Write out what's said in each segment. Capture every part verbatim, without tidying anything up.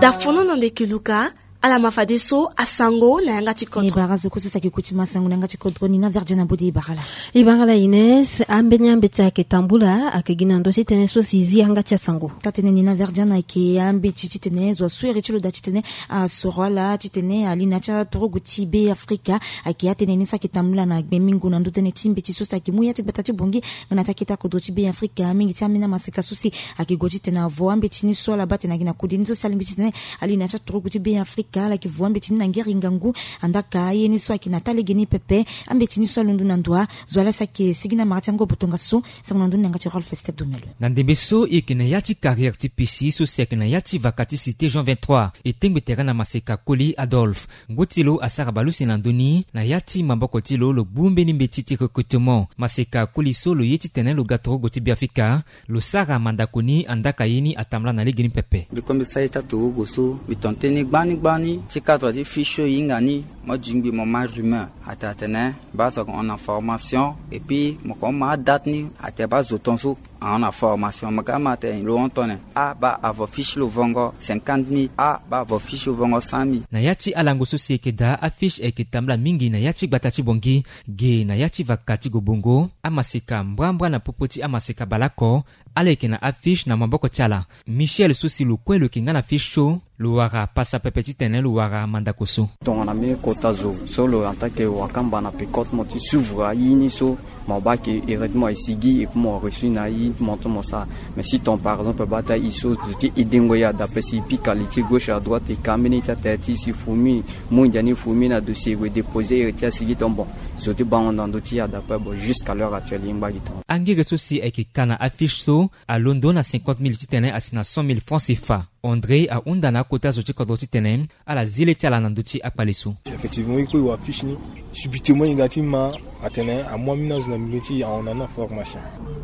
Dafono na ndeke luka. Ala ma fadeso asango na yanga ti kodro. E bara zo kue so si ayeke kuti ma sango na yanga ti kodro ni na verdia na bodi e bara ala. E bara ala ines ambeni ambeti ayeke tambula ayeke gi na ndö ti tënë so si e zi yanga ti asango. Taa tënë ni na verdia na ayeke ambeti titene zo asu ere ti lo daa titene asoro ala titene ali na ya ti atorogo ti be afrika. Ayeke atënë ni so ayeke tambula na gbe mingo na ndö tënë ti mbeti so si ayeke mu ya ti gbata ti bongi. Nga na ti akete akodro ti be afrika mingi ti ambeni amaseka so si ayeke gue titene avo ambeti ni so ala baa tene ayeke na kode ni so si alingbi titene ali na ya ti atorogo ti be afrika ala yeke vo ambeti ni na ngeri ngangu. Andaka aye ni so ayeke na taa lege ni pepe. Ambeti ni so alondo na ndo a zo ala si ayeke sigi na mara ti angobo tongaso. Sango na ndoni na yanga ti rolf step domelo. Na ndembe so e yeke na ya ti carrière ti pisi so si ayeke na ya ti vaka ti cité jean vingt-trois. E tengbe tere na maseka koli adolphe. Ngu ti lo asara bale use na ndö ni na ya ti maboko ti lo lo gbu mbeni mbeti ti recrutement maseka koli so lo ye titene lo ga torogo ti be afrika. Lo sara mandako ni andaka ye ni atambula na lege ni pepe. Mbi kue mbi sara ye ti atorogo so mbi tongana tënë gbani gbani ti cadre ti fiche so e hinga ni. Mo jingbi mo ma rumeur atene atene baa so ayeke hon na formation. Et puis mo yeke hon ma adate ni atene baa zo ton so ahon na formation mo ga ma atene lo hon tone. Abaa avo fiche lo vongo cinquante mille abaa avo fiche lo vongo cent mille. Na ya ti alango so si e yeke daa afiche ayeke tambula mingi na ya ti gbata ti bongi. Ge na ya ti vaka ti gobongo amaseka mbrambra na popo ti amaseka baleoko. Ala yeke na afiche na maboko ti ala. Michel so si lo kue lo yeke nga na fiche so lo wara pasa pepe titene lo wara mandako so. Tongana mbeni kota zo so lo en tant que wakamba na pecote mo ti suivre aye ni so mo baa ke heureusement e sigi et puis mo reçu na aye ti mo ti mo sara. Mais si ton par exemple baa ti aye so zo ti aidengo e adape si e pika li ti gauche à droite e ka mbeni ti atere ti si fumi. Mu ndia ni fumi na dossier e gue dépose ere ti asigi ton bon. Zo ti bango na ndö ti e adape bon jusqu'à l'heure actuelle e ngba gi ton. Angere so si ayeke ka na afiche so alondo na cinquante mille titene asi na cent mille francs cfa. André ahunda na akota zo ti kodro titene ala zi le ti ala na ndö ti akpale so. Effectivement e kue e wa fiche ni subitement e ga ti ma atene amu ambeni azo na milieu ti e ahon na ni na formation.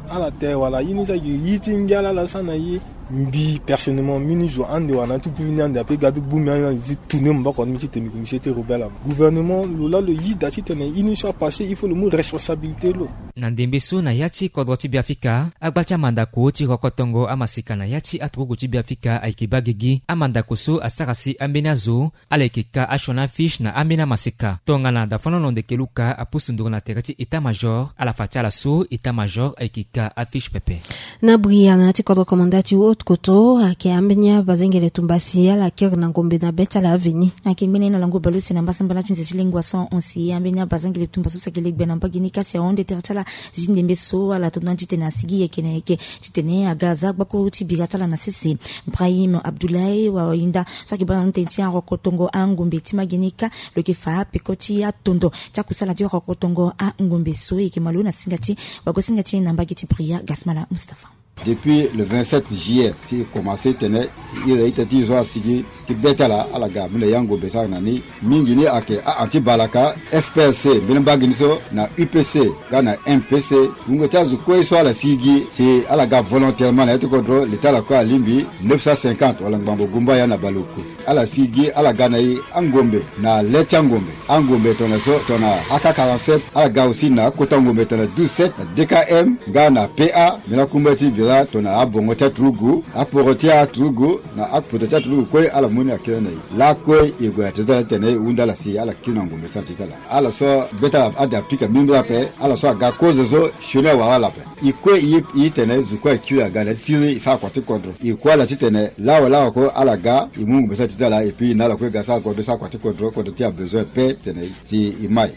Ala tere wala ye ni so ayeke ye ti ngia lala so ana ye. Mbi personnellement mbeni zo ande wala na ti puvi ni ande ape ga ti gbu mbi ande na li ti tourner maboko na mbi titene mbi komisie ti rebelle ape gouvernement lo laa lo ye daa titene ye ni so apasse il faut lo mu responsabilité lo. Na ndembe so na ya ti kodro ti beafrika agba ti amandako ti rokotongo amaseka na ya ti aturugu ti beafrika ayeke baa gigi amandako so asara si ambeni azo ala yeke ka asioni afiche na ambeni amaseka tongana dafonono ndeke luka apusu nduru na tere ti état-major ala fa ti ala so état-major ayeke ka afiche pepe. Na bria na ya ti kodro komanda ti haute koto ayeke ambeni abazengele tumba si ala kiri na ngombe na be ti ala aveni. Ayeke ngbene na lango baleuse na mbasambala ti nze ti lengua so ahon si ambeni abazengele tumba so si ayeke legbe na mbage ni kasi ahon nde tere ti ala. Zi ndembe so ala tondo na titene asigi yeke na yeke titene aga aza gbakuru ti bira ti ala na sese. Brahim abdoulaye wainda so ayeke baa na ndö tënë ti arokotongo angombe ti mageni ka lo yeke fa apeko ti atondo ti akusala ti rokotongo angombe so e yeke malo na singa ti wagosinga ti na mbage ti bria gasmala mustapha. Depuis le vingt-sept juillet si e commence tene ira ita ti zo asigi ti be ti ala ala ga mbi na ya ngombe so ayeke na ni. Mingi ni ayeke a anti balaka fpsc mbeni mbage ni so na upc nga na mpc. Wungo ti azo kue so ala sigi si ala ga volontairement na ya ti kodro li ti ala kue alingbi neuf cent cinquante wala ngbangbo gumbaya na baleoku. Ala sigi ala ga na e angombe na le ti angombe. Angombe tongana so tongana ak quarante-sept ala ga aussi na akota ngombe tongana douze sept na dkm nga na pa. Mbi na kumba ti bira tongana abongo ti aturugu aporo ti aturugu na akpoto ti aturugu kue ala mu ni akiri na e. Lakue e gue na tere ti ala titene e hunda ala si ala kiri na ngombe so na tere ti ala. Ala so be ti ala ade apika mbirimbiri ape ala so aga kozo so sioni awara ala ape. E kue e ye tene zo kue akiri aga na ti siriri e sara kua ti kodro. E kue ala titene lawa lawa kue ala ga e mu ngombe so na tere ti ala et puis na ala kue ga sara kodro e sara kua ti kodro kodro ti abesoin pe titene si e mai.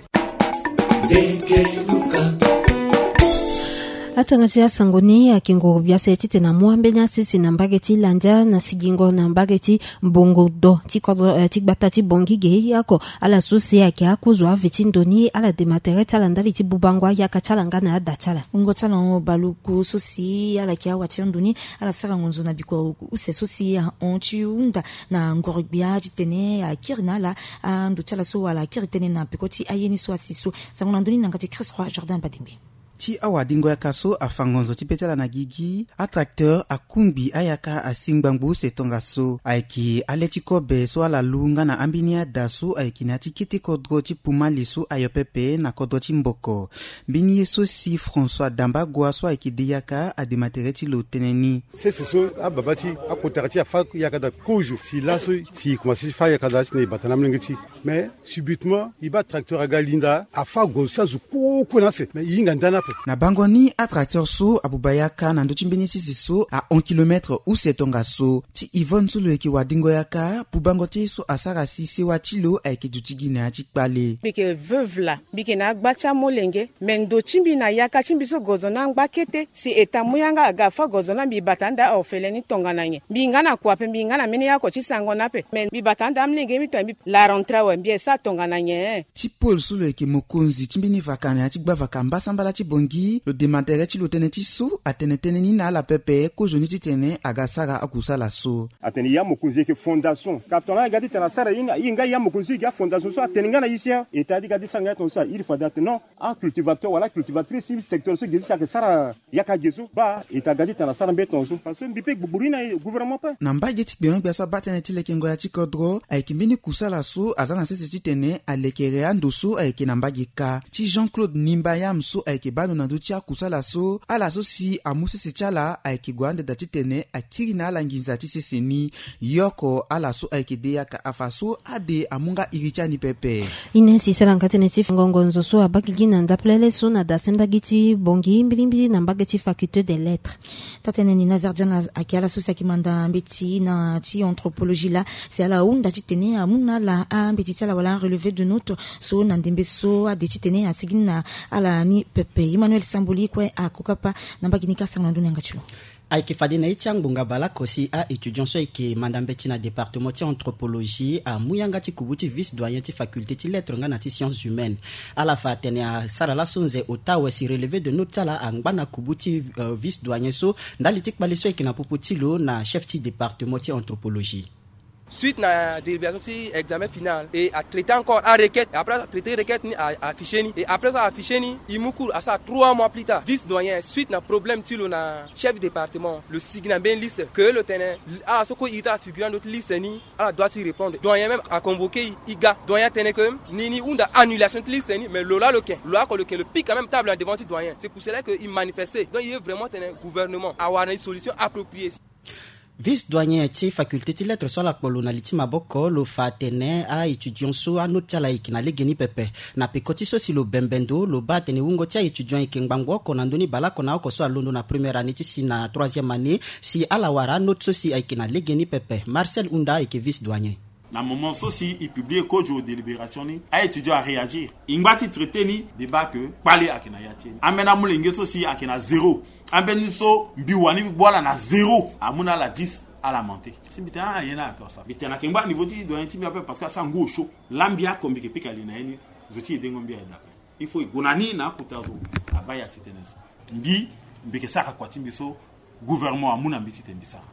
Atanga ti asango ni ayeke nguru biase titene amu ambeni asese na mbage ti landia na sigingo na mbage ti mbongo do ti kodro ti gbata ti bongi ge oko. Ala so si ayeke akozo ave ti ndo ni ala dema tere ti ala ndali ti bubango ayaka ti ala nga na ada ti ala. Wungo ti ala hon baluku so si ala yeke awa ti ando ni. Ala sara ngonzo na bikua use so si ahon ti hunda na ngoro gbia titene akiri na ala ando ti ala so wala akiri tënë na peko ti aye ni so asi so. Sango na ndö ni na yanga ti christ roi jordan badengbe. Ti awadingo yaka so afa ngonzo ti be ti ala na gigi, atracteur akungbi ayaka asi ngbangbo use tongaso. Ayeke ale ti kobe so ala lu nga na ambeni ada so ayeke na ya ti kete kodro ti Pumali so ayo pepe na kodro ti Mboko. Mbeni ye so si François Dambagua so ayeke de yaka adema tere ti lo tënë ni. Sese so ababa ti akotara ti afa yaka daa kozo si laso si e komanse ti fa yaka daa titene e bata na amolenge ti e. Mais subitement e baa tracteur aga linda afa gozo ti azo kue kue na ase, mais e hinga nda ni ape. Na bango ni atracteur so abuba yaka na ndö ti mbeni sese so ahon kilometre use tongaso. Ti Yvonne so lo yeke wadingo yaka, bubango ti ye so asara si sewa ti lo ayeke duti gi na ya ti kpale. Mbi yeke veuve laa, mbi yeke na agba ti amolenge. Me ndo ti mbi na yaka ti mbi so gozo ni angba kete. Si eta mu yanga aga afa gozo ni, mbi bata anda orphelin ni tongana nyen? Mbi hinga na kua ape, mbi hinga na mbeni yako ti sango ni ape. Me mbi bata anda amolenge mi tonga mbi la rentrée awe, mbi esa tongana nyen? Ti Paul so lo yeke mokonzi ti mbeni vaka na ya ti gbavaka mbasambala ti Bangui, lo dema tere ti lo tënë ti so atene tënë ni na ala pepe kozoni titene aga sara akusala so. Atene ya mokonzi yeke fondation. Ka tongana aga titene asara ye nga, ye nga ya mokonzi so yeke afondation so atene nga na ye si, hein. Eta ti ga ti sara nga tongaso, il faut ade atene non. Acultivateur wala cultivatrice ti secteur so ge ti si ayeke sara yaka ge so, baa eta ga ti tene asara mbeni tongaso. Parce que mbi pe gbugburi na gouvernement pe. Na mbage ti gbengo-gbia so abaa tënë ti lekengo ya ti kodro, ayeke mbeni kusala so aza na sese titene alekere ando so ayeke na mbage kâ. Ti Jean-Claude Nimbayam so ayeke baa ndo na ndö ti akusala so, ala so si amu sese ti ala ayeke gue ande daa titene akiri na ala nginza ti sese ni. Yoko ala so ayeke de yaka afa so ade amu nga iri ti ani pepe. Ines e sara nga tënë ti fa ngongo nzo so abaa gigi na ndapelele so na dasendagi ti Bangui mbilimbili na mbage ti faculté des lettres. Taa-tënë ni na Verdiana ayeke ala so si ayeke manda mbeti na ti anthropologie laa, si ala hunda titene amu na ala ambeti ti ala wala arelevé de note so na ndembe so ade titene asigi ni na ala ni pepe. Emmanuel Samboli kue akokapa na mbage ni ka sara na ndö ni yanga ti lo. Ayeke fade na ye ti angbonga bale oko si a-étudiant so ayeke manda mbeti na département ti anthropologie amu yanga ti kubu ti vice doyen ti faculté ti lettres nga na ti sciences humaines. Ala fa atene asara laso nze ota awe si relevé de note ti ala angba na kubu ti, euh, vice doyen so ndali ti kpale so ayeke na popo ti lo na chef ti département ti anthropologie. Suite na délibération ti examen final et a traité encore a requête, et après a traité requête ni, a affiché ni, et après ça a affiché ni, e mu cours asara trois mois plus tard. Vice doyen, suite na problème ti lo na chef département, lo sigi na mbeni liste que lo tene ala so kue e iri ti ala figure na ndö ti liste ni, ala doit ti répondre. Doyen même a convoqué e, e ga. Doyen atene que ni, ni hunda annulation ti liste ni, mais lo laa lo yeke, lo oko lo yeke lo pique quand même table na devant ti doyen. C'est pour cela que e manifesté. Donc e ye vraiment tene gouvernement awara na e solution appropriée. Vice doyen ti faculté ti lettres so ala kpo lo na li ti maboko, lo fa atene a-étudiant so anote ti ala ayeke na legeni pepe. Na peko ti so si lo bembe ndo, lo baa atene wungo ti a-étudiant ayeke ngbangbo oko na ndö ni bale oko na oko so alondo na première année ti si na troisième année, si ala wara anote so si ayeke na legeni pepe. Marcel Hunda ayeke vice doyen. Na moment so si e publié kozo délibération ni, a-étudiant aréagir. E ngba ti traité ni, mbi baa que kpale ayeke na ya ti e ni. Ambeni amolenge so si ayeke na zéro, ambeni so mbi wani mbi gbu ala na zéro, amu na ala dix, ala monté. Si mbi tene ah, aye ni ala to asara. Mbi tene ayeke ngba niveau ti doyen ti mbi ape parce que asara ngu osio. Laa mbi oko mbi yeke pika li na ye ni, zo ti edengo mbi aye daa ape. Il faut e gue na ni na akota zo abaa ya ti tënë so. Mbi, mbi yeke sara kua ti mbi so gouvernement amu na mbi titene mbi sara.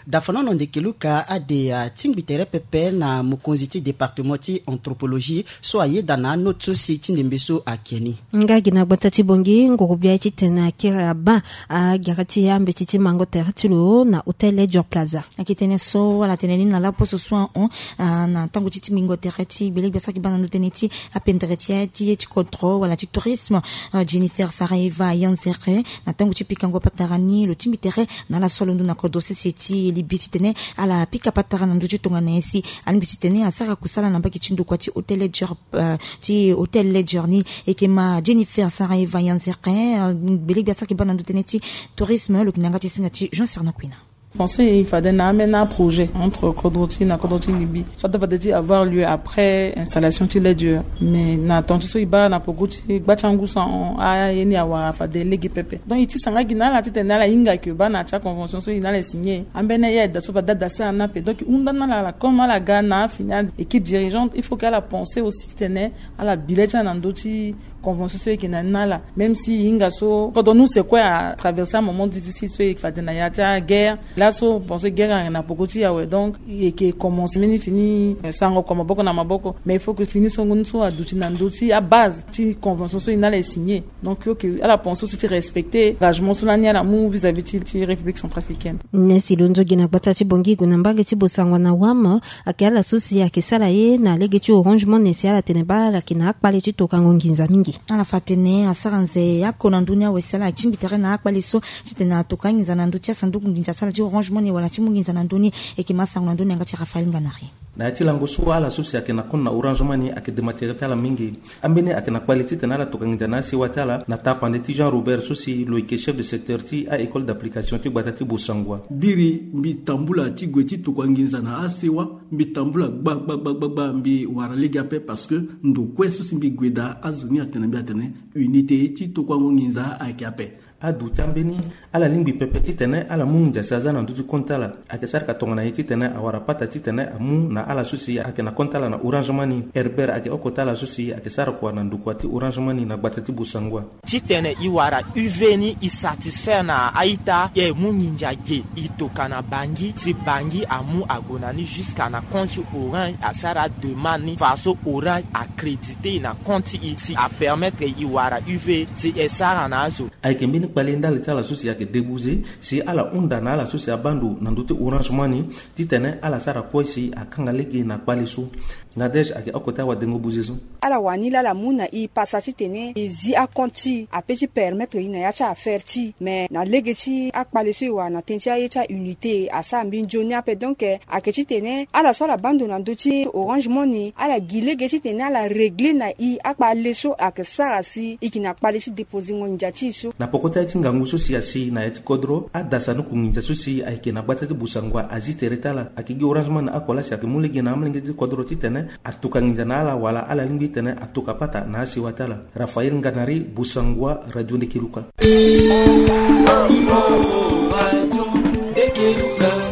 Dafanono ndeke Luka ade atingbi tere pepe na mokonzi ti département ti anthropologie so ayeda na anote so si ti ndembe so ake ni. Nga gi na gbata ti Bangui, nguru bia ye titene akiri abaa agere ti ambeti ti mango tere ti lo na Hôtel Ledger Plaza. Ayeke tënë so ala tene ni na laposo so ahon, ah, na tango ti tingbingo tere ti gbele gbia so ayeke baa na ndö tënë ti apendere ti ye ti, ye ti kodro wala ti tourisme, ah, Jennifer Saraeva Yanzere, na tango ti pikango patara ni lo tingbi tere na ala so alondo na kodro sese ti Libye titene ala pika patara na ndö ti tongana nyen si alingbi titene asara kusala na mbage ti ndokua ti Hôtel Ledger, ah, ti Hôtel Ledger ni. E yeke ma Jennifer Saraeva Yanzere, ah, gbele gbia so ayeke baa na ndö tënë ti tourisme, lo yeke na yanga ti singa ti Jean Fernand Kwena. Pensé e fade na ambeni aprojet entre kodro ti e na kodro ti Libye so ata fade ti avoir lieu après installation ti Ledger. Mais na tongaso so e baa na peko ti gba ti angu so ahon, aye ni awara fade lege pepe. Donc e tisa nga gi na ala titene ala hinga que baa na ti aconvention so e na ala e signé, ambeni aye ayeke daa so fade ada asara ni ape. Donc e hunda na ala, ala comme ala ga na afini équipe dirigeante, il faut que ala pensé aussi titene ala bi le ti ala na ndö ti Convention so e yeke na ni na ala, même si e hinga so kodro ni use kue atraverse amoment difficile so e yeke fade na ya ti aguerre. Laso pense guerre ayeke na poko ti e awe, donc e yeke commence mbeni fini, eh, sarango kua maboko na maboko. Mais il faut que fini songo ni so aduti na ndö ti abase ti convention so e na ala e signe. Donc il faut que ala pense aussi ti respecter engagement so lani ala mu vis-à-vis ti, ti République centrafricaine. Nyen si lo nzoghi na gbata ti Bangui gue na mbage ti Bossangoa na Wam, ayeke ala so si ayeke sara ye na lege ti Orange Money si ala tene baa ala yeke na akpale ti tokango nginza mingi. Ala fa atene asara nze oko na ndö ni awe si ala tingbi tere na akpale so titene atoka anginza na ndö ti asanduku nginza ti ala ti Orange Money wala ti mu nginza na ndö ni. E yeke ma sango na ndö ni yanga ti Raphaël Nganari. Na ya ti lango so ala so si ayeke na compte na Orange Money ayeke dema tere ti ala mingi. Ambeni ayeke na kpale titene ala toka nginza na asewa ti ala na tapande ti Jean Robert so si lo yeke chef de secteur ti a-école d'application ti gbata ti Bossangoa. Biri mbi tambula ti gue ti tokua nginza na asewa, mbi tambula gba gba gba gba gba, mbi wara lege ape parce que ndo kue so si mbi gue daa azo ni atene mbi atene unité ti tokuango nginza ayeke ape. Aduti ambeni ala lingbi pepe titene ala mu nginza si aza na ndö ti compte ti ala. Ayeke sara ka tongana ye titene awara pata titene amu na ala so si ayeke na compte ti ala na Orange Money. Herbert ayeke oko ti ala so si ayeke sara kua na ndokua ti Orange Money na gbata ti Bossangoa. Titene e wara U V ni e satisfaire na a-ita, e mu nginza ge e toka na Bangui si Bangui amu ague na ni jusqu'à na compte ti Orange, asara ademande ni faso Orange acrédité e na compte ti e si apermettre e wara U V si e sara na azo. Ayeke mbeni kpale ndali ti ala so si ayeke débouze si ala hunda na ala so si abaa ndo na ndö ti Orange Money titene ala sara kue si akanga lege na kpale so. Nadège ayeke oko ti awadengo buze so. Ala wani laa ala mu na e pasa titene e zi acompte ti e ape ti permettre e na ya ti affaire ti e. Mais na lege ti akpale so e wara na tënë ti aye ti aunité asara mbeni nzoni ape. Donc, eh, ayeke titene ala so ala baa ndo na ndö ti Orange Money ala gi lege titene ala régler na e akpale so ayeke sara si e yeke na kpale ti déposengo nginza ti e so. Na poko ti aye ti ngangu so si asi na ya ti kodro, adasa ni kunginza so si ayeke na gbata ti Bossangoa azi tere ti ala. Ayeke gi Orange Money oko laa si ayeke mu lege na amolenge ti kodro titene atoka nginza na ala wala ala lingbi titene atoka pata na asewa ti ala. Raphaël Nganari, Bossangoa, Radio Ndeke Luka.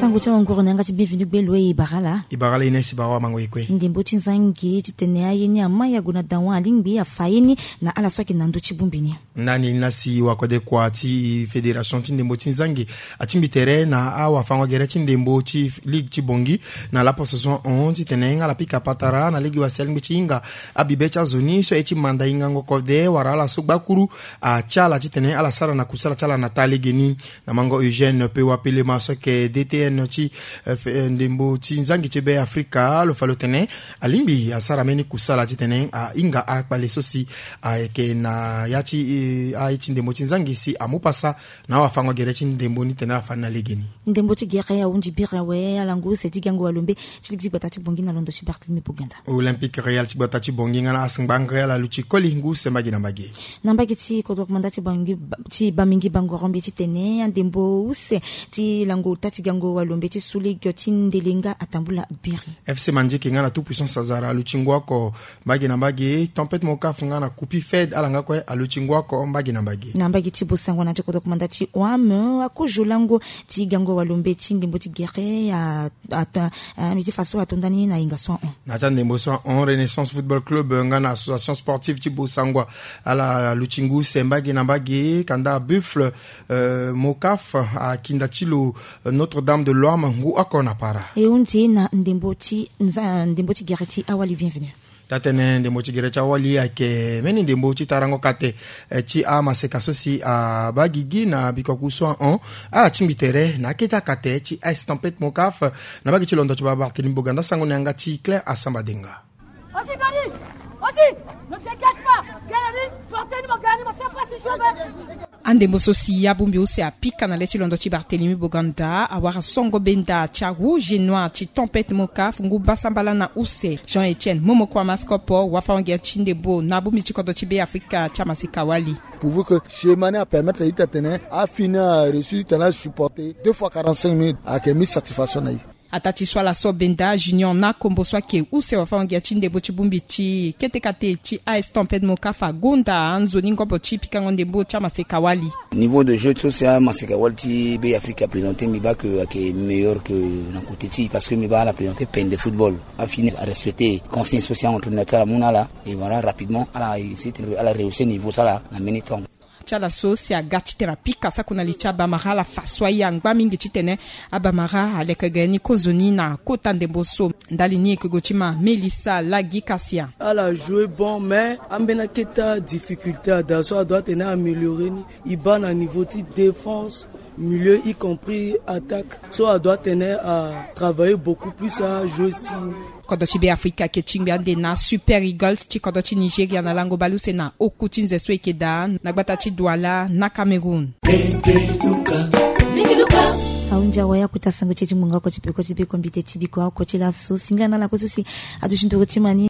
Sango ti awanguru na yanga ti bienvenu gbe lo e bara ala. E bara ala ine si bara wa mango e kue. Ndembo ti nzangi titene aye ni ama ya gue na dawa alingbi afa ye ni na ala so ayeke na ndö ti bongbi ni. Ndani ni laa si wakode kua ti fédération ti ndembo ti nzangi atingbi tere na awafango-gere ti ndembo ti ligue ti Bangui na laposo so ahon titene ala pika patara na lege wa si alingbi ti hinga abibe ti azo ni so aye ti manda hingango kode wala ala so gbakuru atia ala titene ala sara na kusala ti ala na taa lege ni. Na mango Eugène Pewa Pelema so ayeke D T N ti, eh, fe-, eh, ndembo ti nzangi ti Be Afrika, lo fa lo tene alingbi asara mbeni kusala titene ahinga akpale so si ayeke na ya ti, eh, aye ti ndembo ti nzangi si amu pasa na awafango-gere ti ndembo ni tene ala fa ni na legeni. Ndembo ti gere ahunzi biri awe ala ngu use ti gango walombe ti ligi ti gbata ti Bangui na londo ti Barthélemy Boganda. Olympique Real ti gbata ti Bangui nga na Asingba Real aluti koli ngu use mbage na mbage. Na mbage ti kodro komanda ti Bangui, ti Bamingi Bangoro mbi titene andembo use ti lango ota ti gango walombe ti Sous Ligue ti ndele nga atambula biri. F C Mandieke nga na Tout Puissance Azara aluti ngu oko mbage na mbage. Tempête Mokaf nga na Kupi Fed ala nga kue aluti ngu oko mbage na mbage. Na mbage ti Bossangoa na ti kodro komanda ti Oam, akozo lango ti gango walombe ti ndembo ti gere a, a, a, mbi ti fa so ato ndani na hinga so ahon. Na ti andembo so ahon, Renaissance Football Club nga na Association Sportive ti Bossangoa ala luti ngu use mbage na mbage. Kanda Buffle, euh, Mokaf akinda ti lo, euh, Notre-Dame de Loam ngu oko na para. E hunzi na ndembo ti nza, ndembo ti gere ti awali bienvenu. Taa-tënë ndembo ti gere ti awali ayeke mbeni ndembo ti tarango kate, eh, ti amaseka so si abaa gigi na bikua ku so ahon. Ala tingbi tere na akete akate ti Ice Tempête Mokaf na mbage ti londo ti baba Barthélemy Boganda. Sango na yanga ti Claire Asamba Denga. Aussi, Dani, aussi, ne dégage pas. Gagné, Barthélemy Boganda, c'est pas si chaud. Andembo so si abongbi use apika na le ti londo ti Barthélemy Boganda awara songo benda ti a Rouge et Noir ti Tempête Mokaf ngu mbasambala na use. Jean Etienne Momoko Amaskopo, wafango-gere ti ndembo na abongbi ti kodro ti Be Afrika ti amaseka wali. Pourvu que schéma ni apermettre ita tene afini areussi titene asupporter deux fois quarante-cinq minutes ayeke mi satisfaction na e. Ataa ti so ala so benda Junior Nakombo so ayeke use wafa-ngia ti ndembo ti bongbi ti kete kate ti A S Tempête Mokafa gonda nzoni ngobo ti pikango ndembo ti amaseka-wali. Niveau de jeu ti so si amaseka-wali ti Be Afrika aprésenté, mbi baa ke ayeke meilleur ke na côté ti e, parce que mbi baa ala présenté pene de football. Afini arespecté consigne so si a-entraîneur ti ala amu na ala. Et voilà, rapidement ala essayer titene ala rehausser niveau ti ala na mbeni temps. Ti ala so si aga titene apika sako na li ti abamara, ala fa so aye angba mingi titene abamara aleke ga ye ni kozoni na kota ndembo so. Ndali ni e yeke gue ti ma Melissa Lagi Kasia. Ala joue bon, mais ambeni akete difficulté ada so adoit atene améliorer ni. E baa na niveau ti défense, milieu, y compris attaque, so adoit atene atravailler beaucoup plus ajouer ti ni. Kodro ti Be Afrika ayeke tingbi ande na Super Eagles ti kodro ti Nigeria na lango baleuse na oku ti nze so e yeke daa na gbata ti Douala na Cameroun. Ahunzi awe, akota sango ti e ti ngbonga oko ti peko ti bekombite ti biko oko ti laso. Singila na ala kue so si aduti nduru ti ma ni.